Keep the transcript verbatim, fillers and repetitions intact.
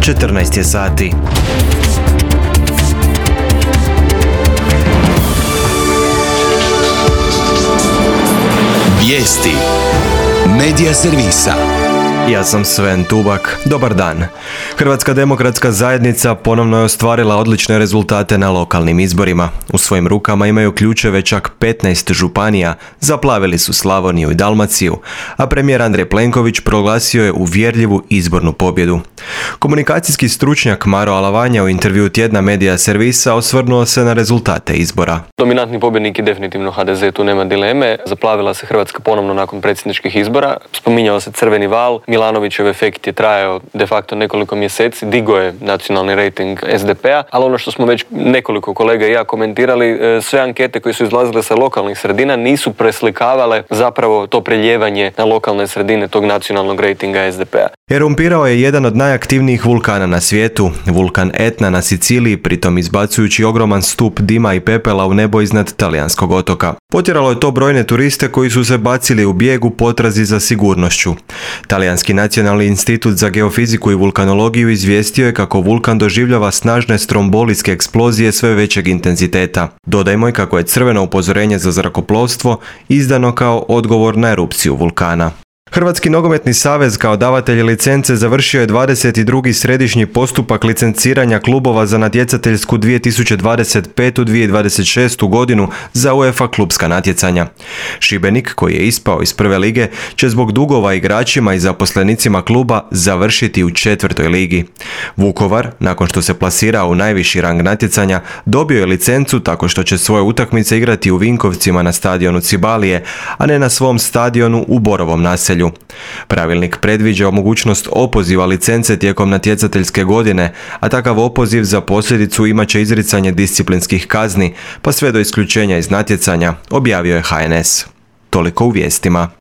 četrnaest je sati. Vijesti Medija servisa. Ja sam Sven Tubak. Dobar dan. Hrvatska demokratska zajednica ponovno je ostvarila odlične rezultate na lokalnim izborima. U svojim rukama imaju ključeve čak petnaest županija, zaplavili su Slavoniju i Dalmaciju, a premijer Andrej Plenković proglasio je uvjerljivu izbornu pobjedu. Komunikacijski stručnjak Maro Alavanja u intervjuu tjedna Medija servisa osvrnuo se na rezultate izbora. Dominantni pobjednik je definitivno ha de ze, tu nema dileme. Zaplavila se Hrvatska ponovno nakon predsjedničkih izbora. Spominjao se crveni val. Milanovićev efekt je trajao de facto nekoliko mjeseci, digo je nacionalni rejting es de pe a, ali ono što smo već nekoliko kolega i ja komentirali, sve ankete koje su izlazile sa lokalnih sredina nisu preslikavale zapravo to preljevanje na lokalne sredine tog nacionalnog rejtinga es de pe a. Erumpirao je jedan od najaktivnijih vulkana na svijetu, vulkan Etna na Siciliji, pritom izbacujući ogroman stup dima i pepela u nebo iznad talijanskog otoka. Potjeralo je to brojne turiste koji su se bacili u bijeg u potrazi za sigurnošću. Talijanski nacionalni institut za geofiziku i vulkanologiju izvijestio je kako vulkan doživljava snažne strombolijske eksplozije sve većeg intenziteta. Dodajmo i kako je crveno upozorenje za zrakoplovstvo izdano kao odgovor na erupciju vulkana. Hrvatski nogometni savez kao davatelj licence završio je dvadeset drugi središnji postupak licenciranja klubova za natjecateljsku dvije tisuće dvadeset petu dvije tisuće dvadeset šestu godinu za UEFA klubska natjecanja. Šibenik, koji je ispao iz prve lige, će zbog dugova igračima i zaposlenicima kluba završiti u četvrtoj ligi. Vukovar, nakon što se plasirao u najviši rang natjecanja, dobio je licencu tako što će svoje utakmice igrati u Vinkovcima na stadionu Cibalije, a ne na svom stadionu u Borovom naselju. Pravilnik predviđa mogućnost opoziva licence tijekom natjecateljske godine, a takav opoziv za posljedicu imat će izricanje disciplinskih kazni, pa sve do isključenja iz natjecanja, objavio je ha en es. Toliko u vijestima.